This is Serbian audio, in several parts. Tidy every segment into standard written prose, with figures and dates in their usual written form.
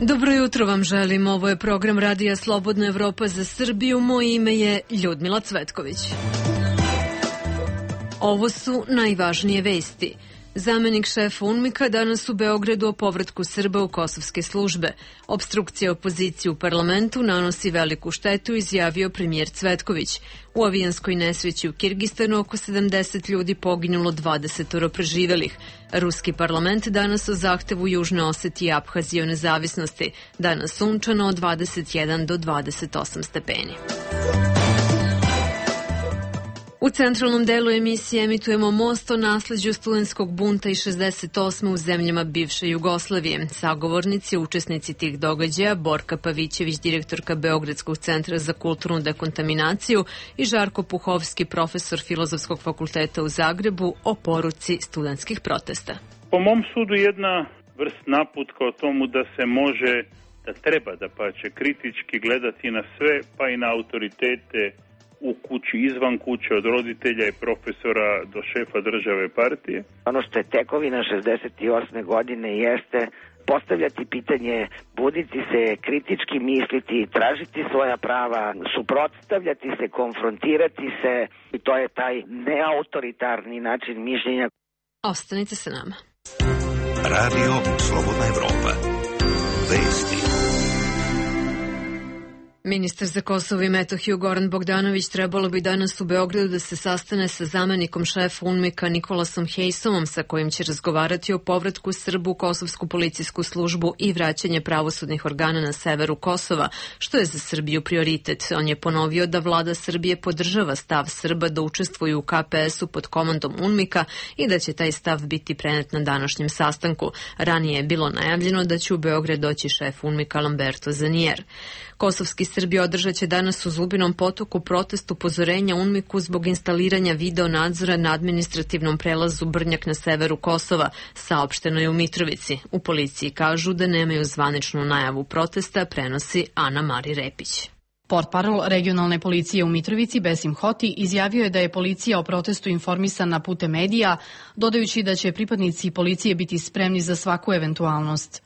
Dobro jutro vam želim. Ovo je program Radija Slobodna Evropa za Srbiju. Moje ime je Ljudmila Cvetković. Ovo su najvažnije vesti. Zamenik šefa UNMIK-a danas u Beogradu o povratku Srba u kosovske službe. Opstrukcija opozicije u parlamentu nanosi veliku štetu, izjavio premijer Cvetković. U avijanskoj nesreći u Kirgistanu oko 70 ljudi poginulo, 20 preživelih. Ruski parlament danas o zahtevu Južne Osetije i Aphazije o nezavisnosti. Danas sunčano od 21 do 28 stepeni. U centralnom delu emisije emitujemo Most o nasleđu studentskog bunta iz 68. u zemljama bivše Jugoslavije. Sagovornici, učesnici tih događaja, Borka Pavićević, direktorka Beogradskog centra za kulturnu dekontaminaciju, i Žarko Puhovski, profesor Filozofskog fakulteta u Zagrebu, o poruci studentskih protesta. Po mom sudu jedna vrst naputka o tomu da se može, da treba da pače kritički gledati na sve, pa i na autoritete u kući, izvan kuće, od roditelja i profesora do šefa države partije. Ono što je tekovina 68. godine jeste postavljati pitanje, buditi se, kritički misliti, tražiti svoja prava, suprotstavljati se, konfrontirati se, i to je taj neautoritarni način mišljenja. Ostanite sa nama. Radio Slobodna Evropa. Vesti. Ministar za Kosovo i Metohiju Goran Bogdanović trebalo bi danas u Beogradu da se sastane sa zamenikom šefa UNMIK-a Nikolasom Hejsomom, sa kojim će razgovarati o povratku Srba u Kosovsku policijsku službu i vraćanje pravosudnih organa na severu Kosova, što je za Srbiju prioritet. On je ponovio da vlada Srbije podržava stav Srba da učestvuju u KPS-u pod komandom UNMIK-a i da će taj stav biti prenet na današnjem sastanku. Ranije je bilo najavljeno da će u Beograd doći šef UNMIK-a Lamberto Zanier. Kosovski Srbi održat će danas u Zubinom Potoku protest upozorenja UNMIK-u zbog instaliranja video nadzora na administrativnom prelazu Brnjak na severu Kosova, saopšteno je u Mitrovici. U policiji kažu da nemaju zvaničnu najavu protesta, prenosi Ana Mari Repić. Portparol regionalne policije u Mitrovici, Besim Hoti, izjavio je da je policija o protestu informisana putem medija, dodajući da će pripadnici policije biti spremni za svaku eventualnost.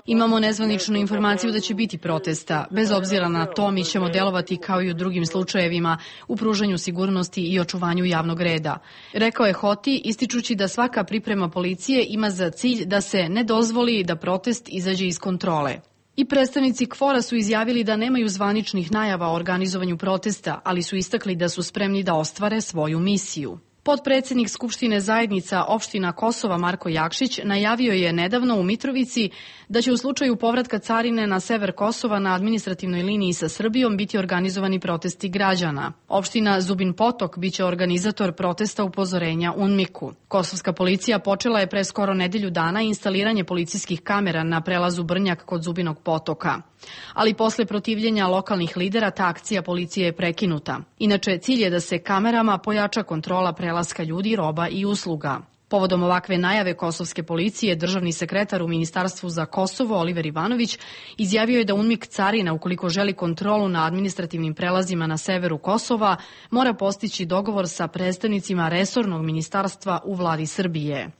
Imamo nezvaničnu informaciju da će biti protesta. Bez obzira na to, mi ćemo delovati kao i u drugim slučajevima u pružanju sigurnosti i očuvanju javnog reda. Rekao je Hoti, ističući da svaka priprema policije ima za cilj da se ne dozvoli da protest izađe iz kontrole. I predstavnici KFOR-a su izjavili da nemaju zvaničnih najava o organizovanju protesta, ali su istakli da su spremni da ostvare svoju misiju. Potpredsednik Skupštine zajednica opština Kosova Marko Jakšić najavio je nedavno u Mitrovici da će u slučaju povratka carine na sever Kosova na administrativnoj liniji sa Srbijom biti organizovani protesti građana. Opština Zubin Potok biće organizator protesta upozorenja UNMIK-u. Kosovska policija počela je pre skoro nedelju dana instaliranje policijskih kamera na prelazu Brnjak kod Zubinog Potoka. Ali posle protivljenja lokalnih lidera ta akcija policije je prekinuta. Inače, cilj je da se kamerama pojača kontrola prelaska ljudi, roba i usluga. Povodom ovakve najave kosovske policije, državni sekretar u Ministarstvu za Kosovo, Oliver Ivanović, izjavio je da UNMIK carina, ukoliko želi kontrolu na administrativnim prelazima na severu Kosova, mora postići dogovor sa predstavnicima resornog ministarstva u vladi Srbije.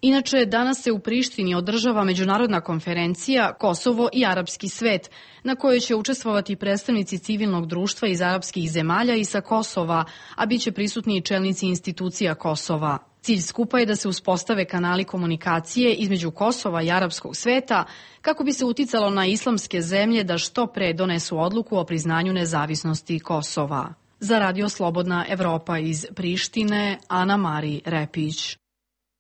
Inače, danas se u Prištini održava međunarodna konferencija Kosovo i arapski svet, na kojoj će učestvovati predstavnici civilnog društva iz arapskih zemalja i sa Kosova, a bit će prisutni i čelnici institucija Kosova. Cilj skupa je da se uspostave kanali komunikacije između Kosova i arapskog sveta, kako bi se uticalo na islamske zemlje da što pre donesu odluku o priznanju nezavisnosti Kosova. Za Radio Slobodna Evropa iz Prištine, Ana Mari Repić.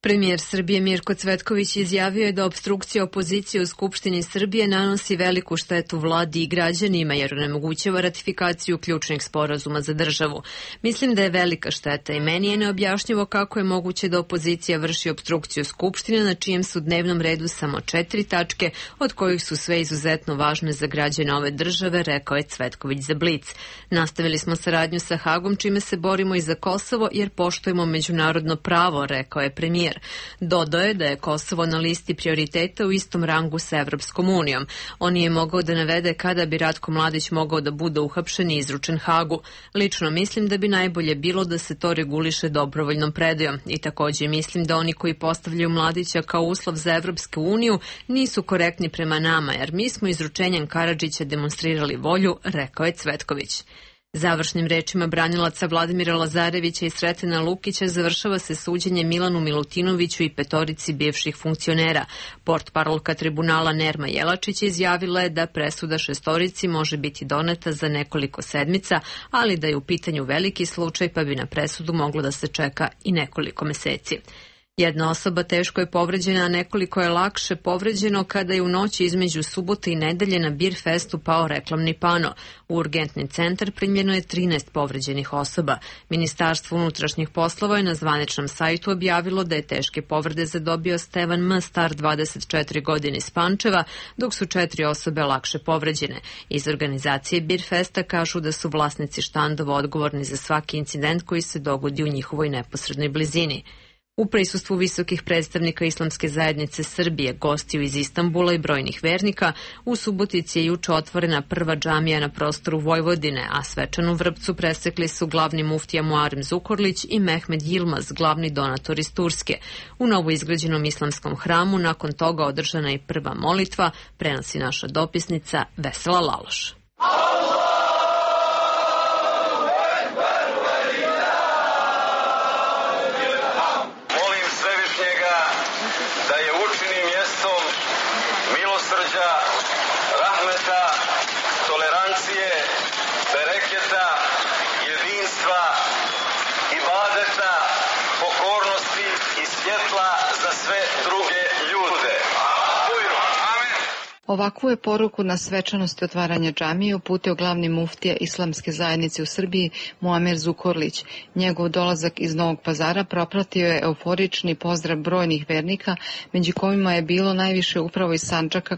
Premijer Srbije Mirko Cvetković izjavio je da opstrukcija opozicije u Skupštini Srbije nanosi veliku štetu vladi i građanima jer onemogućava ratifikaciju ključnih sporazuma za državu. Mislim da je velika šteta i meni je neobjašnjivo kako je moguće da opozicija vrši opstrukciju Skupštine na čijem su dnevnom redu samo 4 tačke, od kojih su sve izuzetno važne za građane ove države, rekao je Cvetković za Blic. Nastavili smo saradnju sa Hagom čime se borimo i za Kosovo jer poštujemo međunarodno pravo, rekao je premijer. premijer. Dodao je da je Kosovo na listi prioriteta u istom rangu sa Evropskom unijom. On nije mogao da navede kada bi Ratko Mladić mogao da bude uhapšen i izručen Hagu. Lično mislim da bi najbolje bilo da se to reguliše dobrovoljnom predajom i takođe mislim da oni koji postavljaju Mladića kao uslov za Evropsku uniju nisu korektni prema nama, jer mi smo izručenjem Karadžića demonstrirali volju, rekao je Cvetković. Završnim rečima branilaca Vladimira Lazarevića i Sretena Lukića završava se suđenje Milanu Milutinoviću i 5 bivših funkcionera. Portparolka tribunala Nerma Jelačić izjavila je da presuda 6 može biti doneta za nekoliko sedmica, ali da je u pitanju veliki slučaj pa bi na presudu moglo da se čeka i nekoliko meseci. Jedna osoba teško je povređena, a nekoliko je lakše povređeno kada je u noći između subote i nedelje na Bir Festu pao reklamni pano. U urgentni centar primljeno je 13 povređenih osoba. Ministarstvo unutrašnjih poslova je na zvaničnom sajtu objavilo da je teške povrede zadobio Stevan M. star 24 godine iz Pančeva, dok su 4 osobe lakše povređene. Iz organizacije Bir Festa kažu da su vlasnici štandova odgovorni za svaki incident koji se dogodi u njihovoj neposrednoj blizini. U prisustvu visokih predstavnika Islamske zajednice Srbije, gostiju iz Istanbula i brojnih vernika, u Subotici je juče otvorena prva džamija na prostoru Vojvodine, a svečanu vrpcu presekli su glavni muftija Muarem Zukorlić i Mehmed Yilmaz, glavni donator iz Turske. U novoizgrađenom islamskom hramu nakon toga održana je prva molitva, prenosi naša dopisnica Vesela Laloš. Rahmeta, tolerancije, bereketa, jedinstva, ibadeta, pokornosti i svjetla za sve druge ljude. Amen. Ovakvu je poruku na svečanosti otvaranja džamije uputio glavni muftija Islamske zajednice u Srbiji Muamer Zukorlić. Njegov dolazak iz Novog Pazara propratio je euforični pozdrav brojnih vernika, među kojima je bilo najviše upravo iz Sandžaka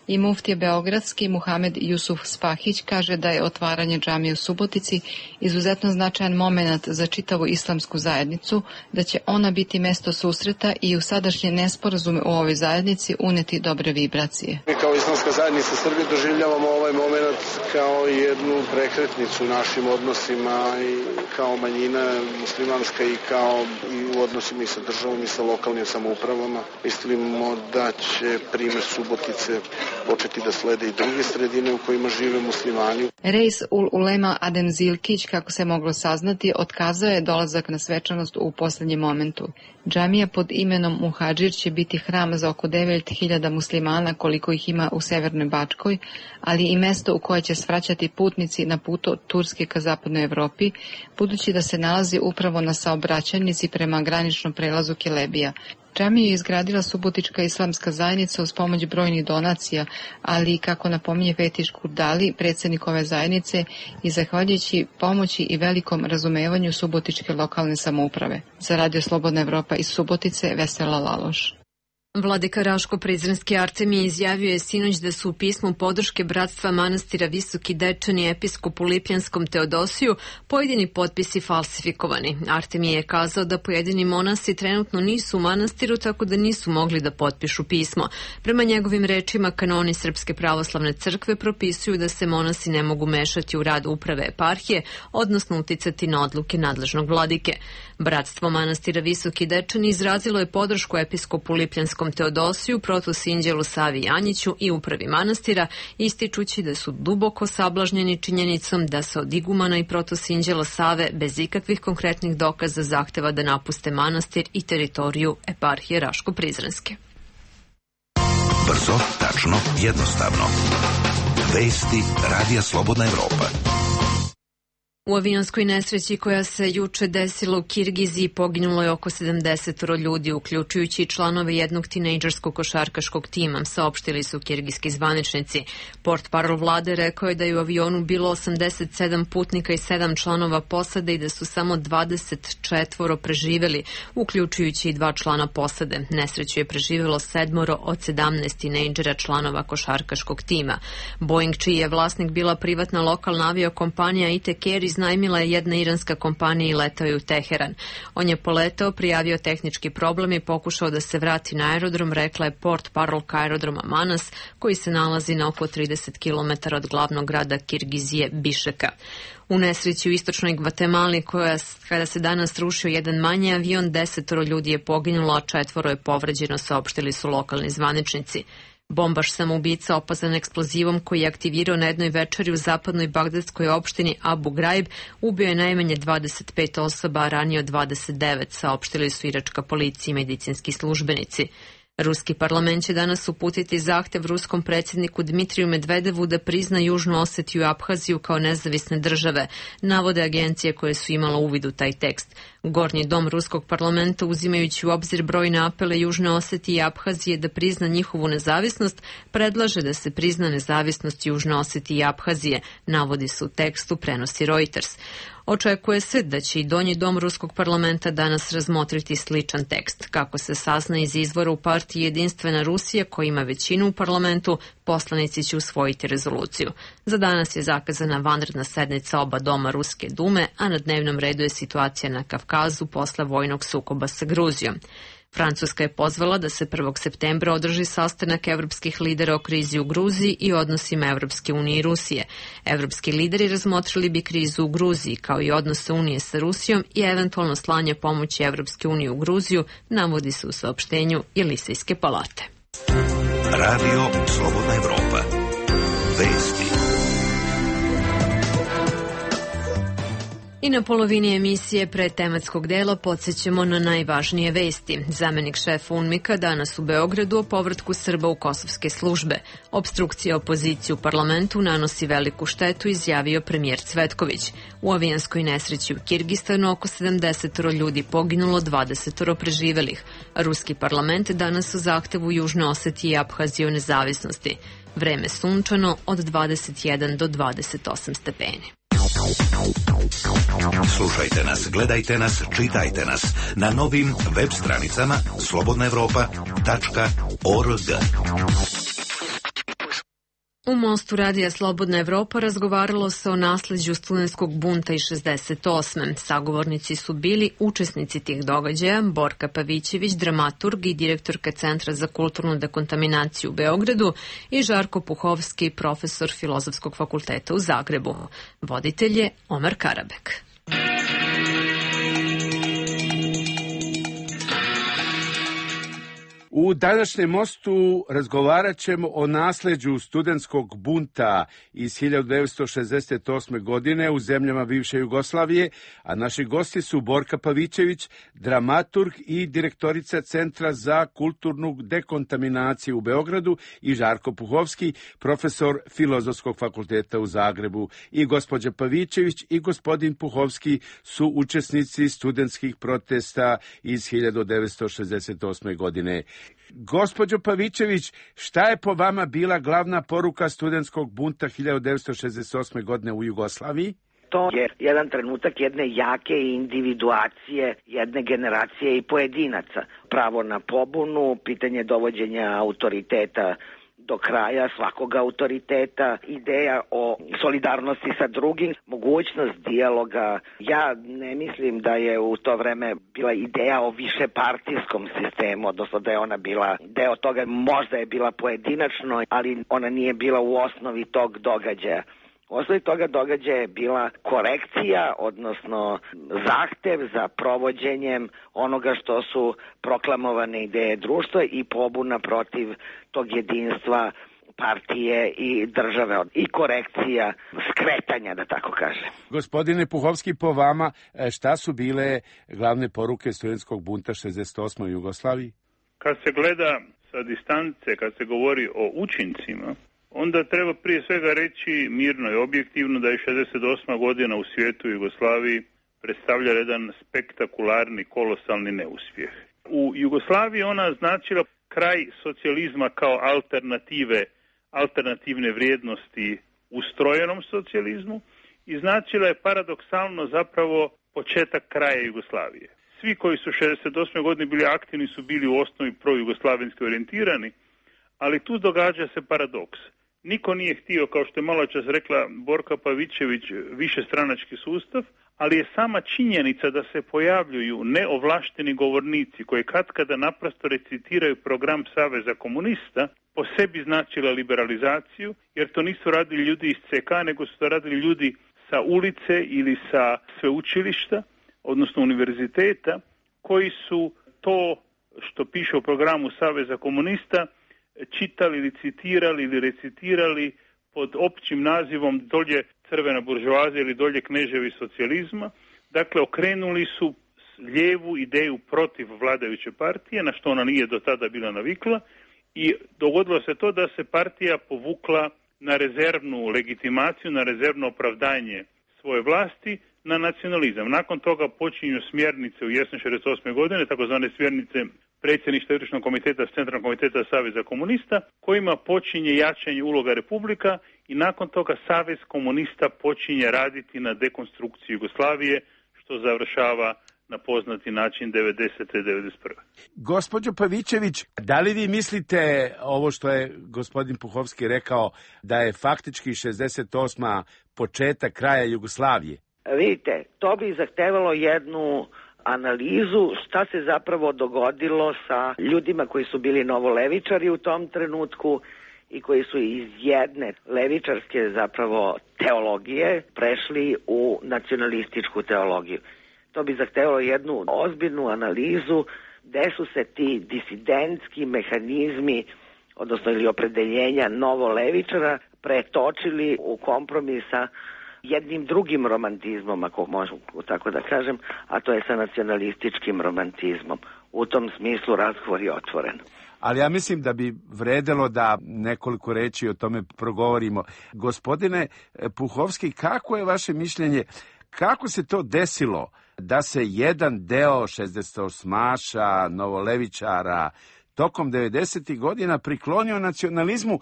i muftija beogradski Muhamed Jusuf Spahić kaže da je otvaranje džamije u Subotici izuzetno značajan moment za čitavu islamsku zajednicu, da će ona biti mesto susreta i u sadašnje nesporazume u ovoj zajednici uneti dobre vibracije. Mi kao Islamska zajednica Srbije doživljavamo ovaj moment kao jednu prekretnicu u našim odnosima i kao manjina muslimanska i kao i u odnosima i sa državom i sa lokalnim samoupravama. Mislimo da će primjer Subotice početi da slede i druge sredine u kojima žive muslimani. Reis ul Ulema Adem Zilkić, kako se moglo saznati, otkazao je dolazak na svečanost u poslednjem momentu. Džamija pod imenom Muhadžir će biti hram za oko 9.000 muslimana koliko ih ima u Severnoj Bačkoj, ali i mesto u koje će svraćati putnici na putu od Turske ka zapadnoj Evropi, budući da se nalazi upravo na saobraćajnici prema graničnom prelazu Kelebija. Džamiju je izgradila Subotička islamska zajednica uz pomoć brojnih donacija, ali i, kako napominje Fetiš Kurdali, predsjednik ove zajednice, i zahvaljujući pomoći i velikom razumevanju Subotičke lokalne samouprave. Za Radio Slobodna Evropa iz Subotice, Vesela Laloš. Vladika Raško-Prizrenski Artemije izjavio je sinoć da su u pismu podrške Bratstva manastira Visoki Dečani episkopu Lipljanskom Teodosiju pojedini potpisi falsifikovani. Artemije je kazao da pojedini monasi trenutno nisu u manastiru, tako da nisu mogli da potpišu pismo. Prema njegovim rečima, kanoni Srpske pravoslavne crkve propisuju da se monasi ne mogu mešati u rad uprave eparhije, odnosno uticati na odluke nadležnog vladike. Bratstvo manastira Visoki Dečani izrazilo je podršku episkopu Lipljanskom Teodosiju, protosinđelu Savi Janjiću i upravi manastira, ističući da su duboko sablažnjeni činjenicom da se od igumana i protosinđela Save bez ikakvih konkretnih dokaza zahteva da napuste manastir i teritoriju eparhije Raško-Prizrenske. Brzo, tačno, jednostavno. Vesti Radija Slobodna Evropa. U avionskoj nesreći koja se juče desila u Kirgiziji poginulo je oko 70 ljudi, uključujući i članove jednog tinejdžerskog košarkaškog tima, saopštili su kirgijski zvaničnici. Portparol vlade rekao je da je u avionu bilo 87 putnika i 7 članova posade i da su samo 24 preživeli, uključujući i 2 člana posade. Nesreću je preživelo 7 od 17 tinejdžera članova košarkaškog tima. Boeing, čiji je vlasnik bila privatna lokalna aviokompanija ITK iz iznajmila je jedna iranska kompanija i letao je u Teheran. On je poletao, prijavio tehnički problem i pokušao da se vrati na aerodrom, rekla je port parolka aerodroma Manas, koji se nalazi na oko 30 km od glavnog grada Kirgizije Bišeka. U nesreći u istočnoj Gvatemali, kada se danas rušio jedan manji avion, 10 ljudi je poginulo, a 4 je povređeno, saopštili su lokalni zvaničnici. Bombaš samoubica opazan eksplozivom koji je aktivirao na jednoj večeri u zapadnoj bagdadskoj opštini Abu Ghraib ubio je najmanje 25 osoba, a ranio 29, saopštili su iračka policija i medicinski službenici. Ruski parlament će danas uputiti zahtev ruskom predsjedniku Dmitriju Medvedevu da prizna Južnu Osetiju i Abhaziju kao nezavisne države, navode agencije koje su imala uvid u taj tekst. Gornji dom ruskog parlamenta, uzimajući u obzir brojne apele Južne Osetije i Abhazije da prizna njihovu nezavisnost, predlaže da se prizna nezavisnost Južne Osetije i Abhazije, navodi se u tekstu, prenosi Reuters. Očekuje se da će i donji dom ruskog parlamenta danas razmotriti sličan tekst. Kako se sazna iz izvora u partiji Jedinstvena Rusija, koja ima većinu u parlamentu, poslanici će usvojiti rezoluciju. Za danas je zakazana vanredna sednica oba doma Ruske dume, a na dnevnom redu je situacija na Kavkazu posle vojnog sukoba sa Gruzijom. Francuska je pozvala da se 1. septembra održi sastanak evropskih lidera o krizi u Gruziji i odnosima Evropske unije i Rusije. Evropski lideri razmotrili bi krizu u Gruziji, kao i odnose Unije sa Rusijom i eventualno slanje pomoći Evropske unije u Gruziju, navodi se u saopštenju Jelisejske palate. Radio Slobodna Evropa. Vesti. I na polovini emisije pre tematskog dela podsjećamo na najvažnije vesti. Zamenik šefa UNMIK-a danas u Beogradu o povratku Srba u kosovske službe. Obstrukcija opozicije u parlamentu nanosi veliku štetu, izjavio premijer Cvetković. U avijanskoj nesreći u Kirgistanu oko 70 ljudi poginulo, 20 preživelih. Ruski parlament danas u zahtevu Južne Osetije i Abhazije o nezavisnosti. Vreme sunčano od 21 do 28 stepeni. Slušajte nas, gledajte nas, čitajte nas na novim web stranicama slobodnaevropa.org. U Mostu radija Slobodna Evropa razgovaralo se o nasleđu studentskog bunta iz 68. Sagovornici su bili učesnici tih događaja, Borka Pavićević, dramaturg i direktorka Centra za kulturnu dekontaminaciju u Beogradu, i Žarko Puhovski, profesor Filozofskog fakulteta u Zagrebu. Voditelj je Omer Karabek. U današnjem mostu razgovarat ćemo o nasleđu studentskog bunta iz 1968. godine u zemljama bivše Jugoslavije, a naši gosti su Borka Pavićević, dramaturg i direktorica Centra za kulturnu dekontaminaciju u Beogradu, i Žarko Puhovski, profesor Filozofskog fakulteta u Zagrebu. I gospođa Pavićević i gospodin Puhovski su učesnici studentskih protesta iz 1968. godine. Gospođo Pavićević, šta je po vama bila glavna poruka studentskog bunta 1968. godine u Jugoslaviji? To je jedan trenutak jedne jake individuacije, jedne generacije i pojedinaca. Pravo na pobunu, pitanje dovođenja autoriteta do kraja, svakog autoriteta, ideja o solidarnosti sa drugim, mogućnost dijaloga. Ja ne mislim da je u to vreme bila ideja o višepartijskom sistemu, odnosno da je ona bila deo toga, možda je bila pojedinačno, ali ona nije bila u osnovi tog događaja. U osnovi toga događaja je bila korekcija, odnosno zahtev za provođenjem onoga što su proklamovane ideje društva i pobuna protiv tog jedinstva partije i države i korekcija skretanja, da tako kažem. Gospodine Puhovski, po vama šta su bile glavne poruke studentskog bunta 68. u Jugoslaviji? Kad se gleda sa distance, kad se govori o učincima, onda treba prije svega reći mirno i objektivno da je 68. godina u svijetu Jugoslaviji predstavlja jedan spektakularni, kolosalni neuspjeh. U Jugoslaviji ona značila kraj socijalizma kao alternativne vrijednosti ustrojenom socijalizmu i značila je paradoksalno zapravo početak kraja Jugoslavije. Svi koji su 68. godine bili aktivni su bili u osnovi projugoslavenski orijentirani, ali tu događa se paradoks. Niko nije htio, kao što je malo čas rekla Borka Pavićević, višestranački sustav, ali je sama činjenica da se pojavljuju neovlašteni govornici koji katkada naprosto recitiraju program Saveza komunista, po sebi značila liberalizaciju, jer to nisu radili ljudi iz CK, nego su to radili ljudi sa ulice ili sa sveučilišta, odnosno univerziteta, koji su to što piše u programu Saveza komunista čitali ili citirali ili recitirali pod općim nazivom dolje crvena buržoazija ili dolje kneževi socijalizma. Dakle, okrenuli su lijevu ideju protiv vladajuće partije, na što ona nije do tada bila navikla, i dogodilo se to da se partija povukla na rezervnu legitimaciju, na rezervno opravdanje svoje vlasti, na nacionalizam. Nakon toga počinju smjernice u jesen 1968. godine, takozvane smjernice predsjedništva Izvršnog komiteta, Centralnog komiteta Saveza komunista, kojima počinje jačanje uloga republika i nakon toga Savez komunista počinje raditi na dekonstrukciji Jugoslavije, što završava na poznati način 90. i 91. Gospođo Pavićević, da li vi mislite ovo što je gospodin Puhovski rekao, da je faktički 68. početak kraja Jugoslavije? Vidite, to bi zahtevalo jednu analizu šta se zapravo dogodilo sa ljudima koji su bili novolevičari u tom trenutku i koji su iz jedne levičarske zapravo teologije prešli u nacionalističku teologiju. To bi zahtevalo jednu ozbiljnu analizu gde su se ti disidentski mehanizmi, odnosno ili opredeljenja novolevičara, pretočili u kompromis sa jednim drugim romantizmom, ako možemo tako da kažem, a to je sa nacionalističkim romantizmom. U tom smislu razgovor je otvoren. Ali ja mislim da bi vredelo da nekoliko reči o tome progovorimo. Gospodine Puhovski, kako je vaše mišljenje, kako se to desilo da se jedan deo 68-aša, novolevičara, tokom 90. godina priklonio nacionalizmu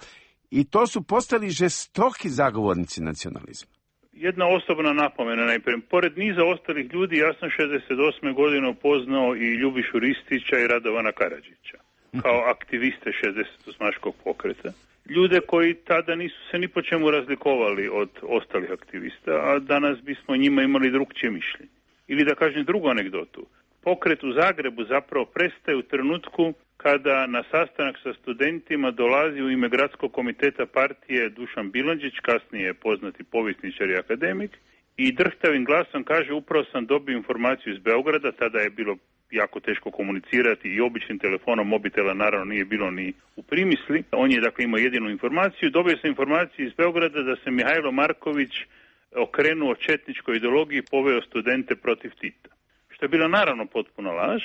i to su postali žestoki zagovornici nacionalizma? Jedna osobna napomena najprije. Pored niza ostalih ljudi, ja sam 68. godine upoznao i Ljubišu Ristića i Radovana Karadžića kao aktiviste 68-aškog pokreta. Ljude koji tada nisu se ni po čemu razlikovali od ostalih aktivista, a danas bismo njima imali drugčije mišljenje. Ili da kažem drugu anegdotu. Pokret u Zagrebu zapravo prestaje u trenutku kada na sastanak sa studentima dolazi u ime Gradskog komiteta partije Dušan Bilandžić, kasnije poznati povjesničar i akademik, i drhtavim glasom kaže: upravo sam dobio informaciju iz Beograda, tada je bilo jako teško komunicirati i običnim telefonom, mobitela naravno nije bilo ni u primisli. On je dakle imao jedinu informaciju. Dobio sam informaciju iz Beograda da se Mihajlo Marković okrenuo četničkoj ideologiji i poveo studente protiv Tita. Što je bila naravno potpuna laž,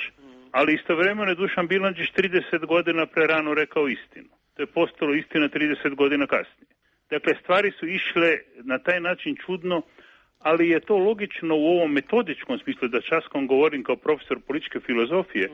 ali istovremeno je Dušan Bilandžić 30 godina prerano rekao istinu. To je postalo istina 30 godina kasnije. Dakle, stvari su išle na taj način čudno, ali je to logično u ovom metodičkom smislu, da časkom govorim kao profesor političke filozofije.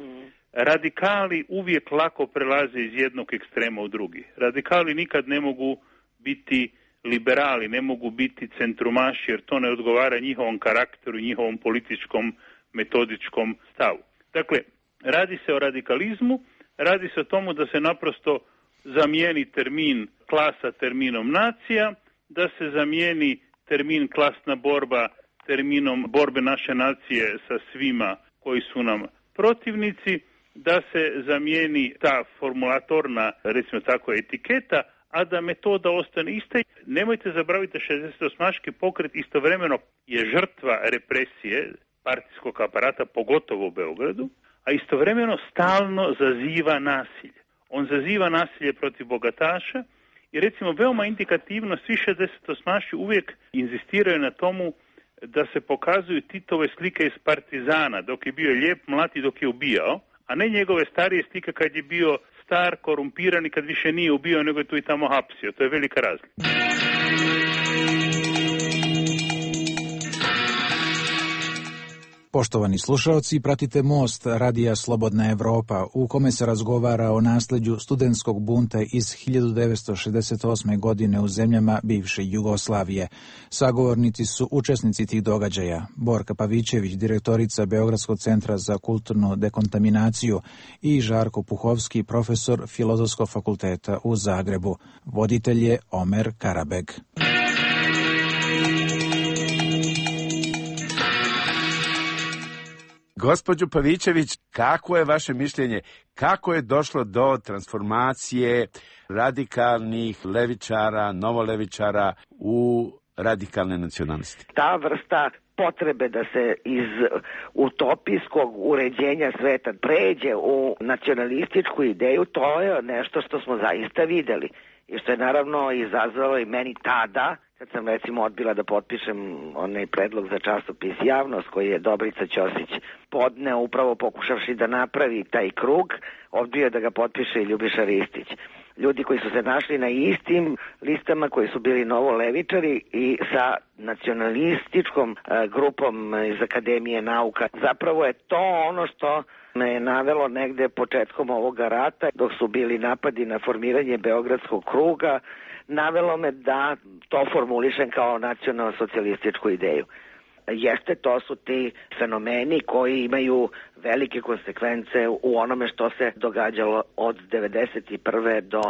Radikali uvijek lako prelaze iz jednog ekstrema u drugi. Radikali nikad ne mogu biti liberali, ne mogu biti centrumaši, jer to ne odgovara njihovom karakteru i njihovom političkom metodičkom stavu. Dakle, radi se o radikalizmu, radi se o tomu da se naprosto zamijeni termin klasa terminom nacija, da se zamijeni termin klasna borba terminom borbe naše nacije sa svima koji su nam protivnici, da se zamijeni ta formulatorna, recimo tako, etiketa, a da metoda ostane ista. Nemojte zaboraviti, 68-aški pokret istovremeno je žrtva represije partijskog aparata, pogotovo u Beogradu, a istovremeno stalno zaziva nasilje. On zaziva nasilje protiv bogataša i recimo veoma indikativno svi 68-aši uvijek inzistiraju na tomu da se pokazuju Titove slike iz Partizana, dok je bio lijep, mlad i dok je ubijao, a ne njegove starije slike kad je bio star, korumpiran i kad više nije ubijao, nego je tu i tamo hapsio. To je velika razlika. Poštovani slušaoci, pratite Most Radija Slobodna Evropa, u kome se razgovara o nasleđu studentskog bunta iz 1968. godine u zemljama bivše Jugoslavije. Sagovornici su učesnici tih događaja: Borka Pavićević, direktorica Beogradskog centra za kulturnu dekontaminaciju, i Žarko Puhovski, profesor Filozofskog fakulteta u Zagrebu. Voditelj je Omer Karabeg. Gospođo Pavićević, kako je vaše mišljenje? Kako je došlo do transformacije radikalnih levičara, novolevičara u radikalne nacionaliste? Ta vrsta potrebe da se iz utopijskog uređenja sveta pređe u nacionalističku ideju, to je nešto što smo zaista videli. I što je naravno izazvalo i meni tada, kad sam recimo odbila da potpišem onaj predlog za časopis Javnost koji je Dobrica Ćosić podneo upravo pokušavši da napravi taj krug, odbio da ga potpiše i Ljubiša Ristić. Ljudi koji su se našli na istim listama, koji su bili novolevičari i sa nacionalističkom grupom iz Akademije nauka. Zapravo je to ono što me je navelo negde početkom ovoga rata, dok su bili napadi na formiranje Beogradskog kruga, navelo me da to formulišem kao nacionalno-socijalističku ideju. Jeste, to su ti fenomeni koji imaju velike konsekvence u onome što se događalo od 1991. do,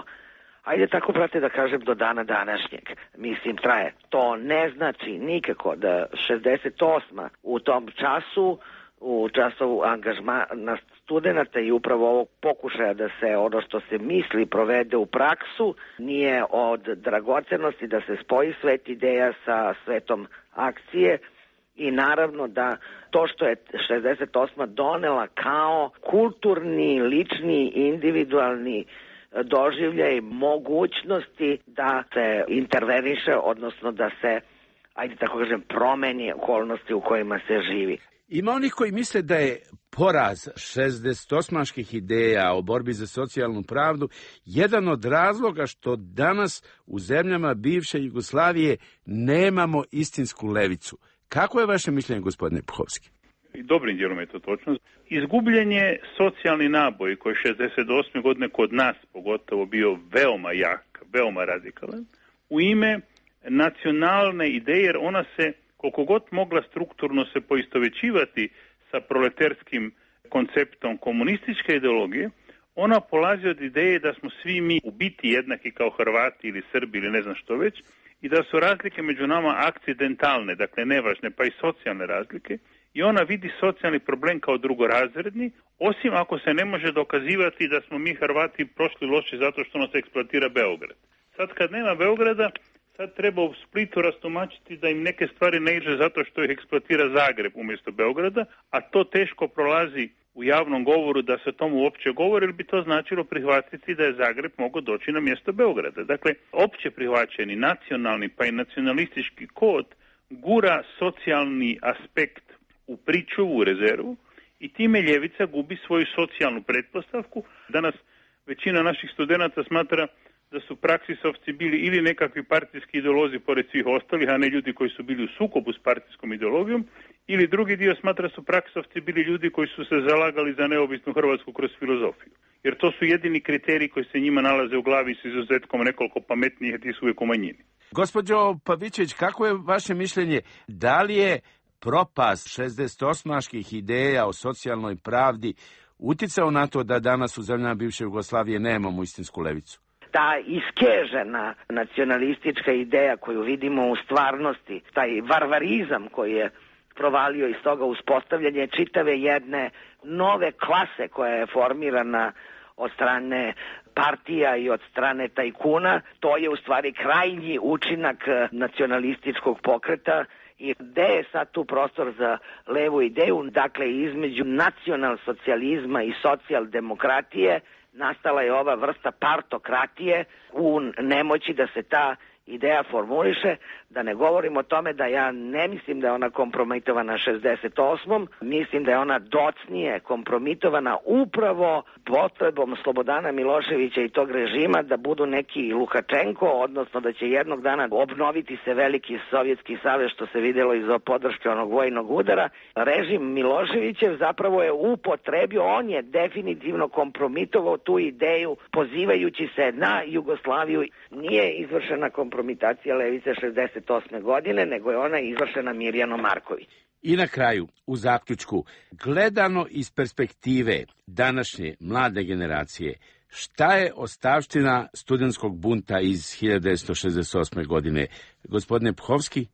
ajde tako brate da kažem, do dana današnjeg. Mislim, traje. To ne znači nikako da 68. u tom času, u času angažmana studenta i upravo ovog pokušaja da se ono što se misli provede u praksu, nije od dragocenosti da se spoji svet ideja sa svetom akcije. I naravno da to što je 68. donela kao kulturni, lični, individualni doživljaj mogućnosti da se interveniše, odnosno da se, ajde tako kažem, promeni okolnosti u kojima se živi. Ima onih koji misle da je poraz 68-ških ideja o borbi za socijalnu pravdu jedan od razloga što danas u zemljama bivše Jugoslavije nemamo istinsku levicu. Kako je vaše mišljenje, gospodine Puhovski? Dobrim dijelom je to točno. Izgubljen je socijalni naboj koji je 68. godine kod nas pogotovo bio veoma jak, veoma radikalan, u ime nacionalne ideje, jer ona se, koliko god mogla strukturno se poistovećivati sa proleterskim konceptom komunističke ideologije, ona polazi od ideje da smo svi mi u biti jednaki kao Hrvati ili Srbi ili ne znam što već, i da su razlike među nama akcidentalne, dakle nevažne, pa i socijalne razlike, i ona vidi socijalni problem kao drugorazredni, osim ako se ne može dokazivati da smo mi Hrvati prošli loše zato što nas eksploatira Beograd. Sad kad nema Beograda, sad treba u Splitu rastumačiti da im neke stvari ne iđe zato što ih eksploatira Zagreb umjesto Beograda, a to teško prolazi u javnom govoru da se tomu uopće govori, ili bi to značilo prihvatiti da je Zagreb mogao doći na mjesto Beograda. Dakle, opće prihvaćeni nacionalni pa i nacionalistički kod gura socijalni aspekt u pričuvu, u rezervu, i time ljevica gubi svoju socijalnu pretpostavku. Danas većina naših studenata smatra da su praksisovci bili ili nekakvi partijski ideolozi pored svih ostalih, a ne ljudi koji su bili u sukobu s partijskom ideologijom, ili drugi dio smatra su praksisovci bili ljudi koji su se zalagali za neovisnu Hrvatsku kroz filozofiju. Jer to su jedini kriteriji koji se njima nalaze u glavi s izuzetkom nekoliko pametnijih, a ti su uvijek u manjini. Gospođo Pavićević, kako je vaše mišljenje? Da li je propast 68-ških ideja o socijalnoj pravdi uticao na to da danas u zemljama bivše Jugoslavije nemamo istinsku levicu? Ta iskežena nacionalistička ideja koju vidimo u stvarnosti, taj varvarizam koji je provalio iz toga uspostavljanje čitave jedne nove klase koja je formirana od strane partija i od strane tajkuna, to je u stvari krajnji učinak nacionalističkog pokreta. I gde je sad tu prostor za levu ideju? Dakle, između nacionalsocijalizma i socijaldemokratije nastala je ova vrsta partokratije u nemoći da se ta ideja formuliše, da ne govorim o tome da ja ne mislim da je ona kompromitovana 68. Mislim da je ona docnije kompromitovana upravo potrebom Slobodana Miloševića i tog režima da budu neki Lukačenko, odnosno da će jednog dana obnoviti se veliki Sovjetski savez, što se vidjelo iz podrške onog vojnog udara. Režim Miloševićev zapravo je upotrebio, on je definitivno kompromitovao tu ideju pozivajući se na Jugoslaviju. Nije izvršena kompromitacija levice 68. godine, nego je ona izvršena Mirjanom Marković. I na kraju, u zaključku, gledano iz perspektive današnje mlade generacije, šta je ostavština studentskog bunta iz 1968. godine? Gospodine Puhovski?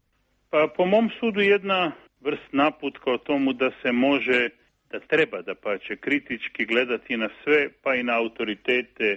Pa po mom sudu jedna vrst naputka o tomu da se može, da treba da pače kritički gledati na sve, pa i na autoritete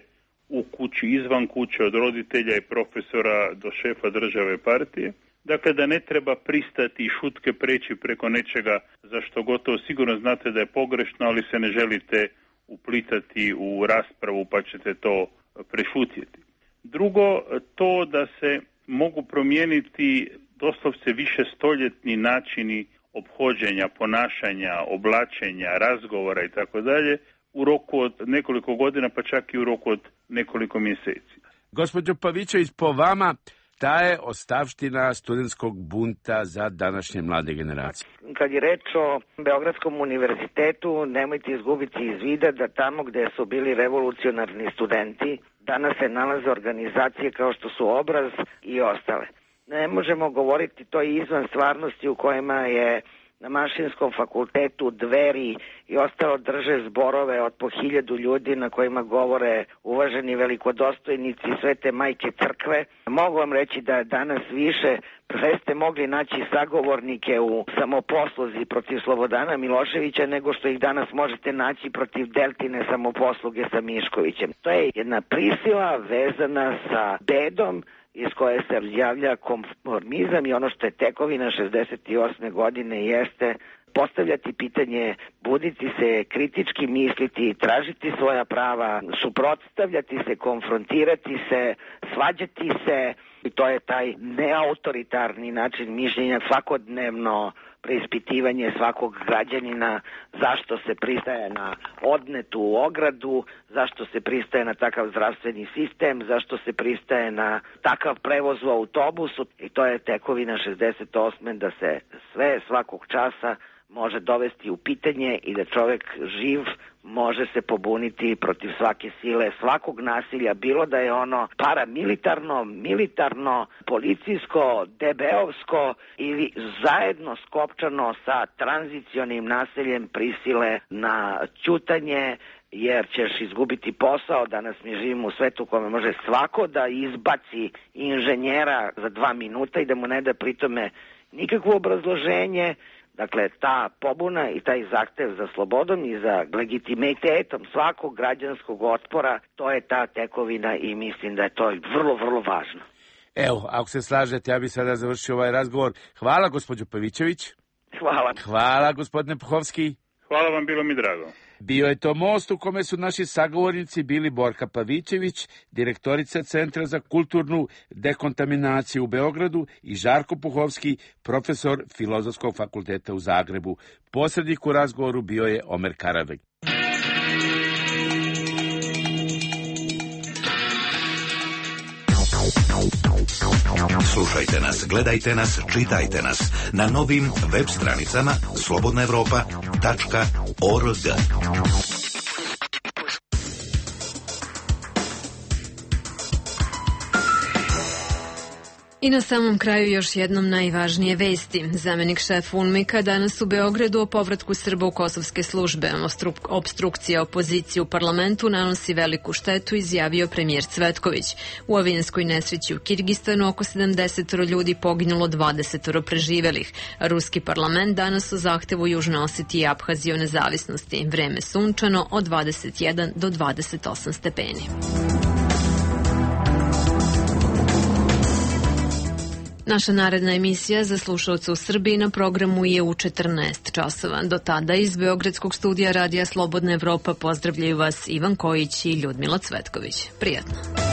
u kući, izvan kuće, od roditelja i profesora do šefa države partije. Dakle, da ne treba pristati i šutke preći preko nečega za što gotovo sigurno znate da je pogrešno, ali se ne želite uplitati u raspravu pa ćete to prešutjeti. Drugo, to da se mogu promijeniti doslovce višestoljetni načini ophođenja, ponašanja, oblačenja, razgovora i tako dalje u roku od nekoliko godina, pa čak i u roku od nekoliko mjeseci. Gospođo Pavićević, po vama, ta je ostavština studentskog bunta za današnje mlade generacije. Kad je reč o Beogradskom univerzitetu, nemojte izgubiti iz vida da tamo gde su bili revolucionarni studenti, danas se nalaze organizacije kao što su Obraz i ostale. Ne možemo govoriti to izvan stvarnosti u kojima je na Mašinskom fakultetu Dveri i ostalo drže zborove od po 1000 ljudi na kojima govore uvaženi velikodostojnici Svete Majke Crkve. Mogu vam reći da danas više ste mogli naći sagovornike u samoposluzi protiv Slobodana Miloševića nego što ih danas možete naći protiv Deltine samoposluge sa Miškovićem. To je jedna prisila vezana sa bedom iz koje se javlja konformizam i ono što je tekovina 68. godine jeste postavljati pitanje, buditi se, kritički misliti, tražiti svoja prava, suprotstavljati se, konfrontirati se, svađati se i to je taj neautoritarni način mišljenja, svakodnevno preispitivanje svakog građanina, zašto se pristaje na odnetu ogradu, zašto se pristaje na takav zdravstveni sistem, zašto se pristaje na takav prevoz u autobusu i to je tekovina 68. da se sve svakog časa može dovesti u pitanje i da čovjek živ može se pobuniti protiv svake sile, svakog nasilja, bilo da je ono paramilitarno, militarno, policijsko, DB-ovsko ili zajedno skopčano sa tranzicionim nasiljem prisile na ćutanje, jer ćeš izgubiti posao. Danas mi živimo u svetu u kome može svako da izbaci inženjera za 2 minuta i da mu ne da pritome nikakvo obrazloženje. Dakle, ta pobuna i taj zahtev za slobodom i za legitimitetom svakog građanskog otpora, to je ta tekovina i mislim da je to vrlo, vrlo važno. Evo, ako se slažete, ja bih sada završio ovaj razgovor. Hvala, gospođo Pavićević. Hvala. Hvala, gospodine Puhovski. Hvala vam, bilo mi drago. Bio je to most u kome su naši sagovornici bili Borka Pavićević, direktorica Centra za kulturnu dekontaminaciju u Beogradu i Žarko Puhovski, profesor Filozofskog fakulteta u Zagrebu. Posrednik u razgovoru bio je Omer Karadeg. Slušajte nas, gledajte nas, čitajte nas na novim web stranicama slobodnaevropa.org. I na samom kraju još jednom najvažnije vesti. Zamenik šefa UNMIK-a danas u Beogradu o povratku Srba u kosovske službe. Opstrukcija opozicije u parlamentu nanosi veliku štetu, izjavio premijer Cvetković. U avijanskoj nesreći u Kirgistanu oko 70 ljudi poginulo, 20 preživelih. Ruski parlament danas o zahtevu Južne Osetije i Aphazije o nezavisnosti. Vreme sunčano od 21 do 28 stepeni. Naša naredna emisija za slušalce u Srbiji na programu je u 14 časova. Do tada iz Beogradskog studija Radija Slobodna Evropa pozdravljaju vas Ivan Kojić i Ljudmila Cvetković. Prijatno.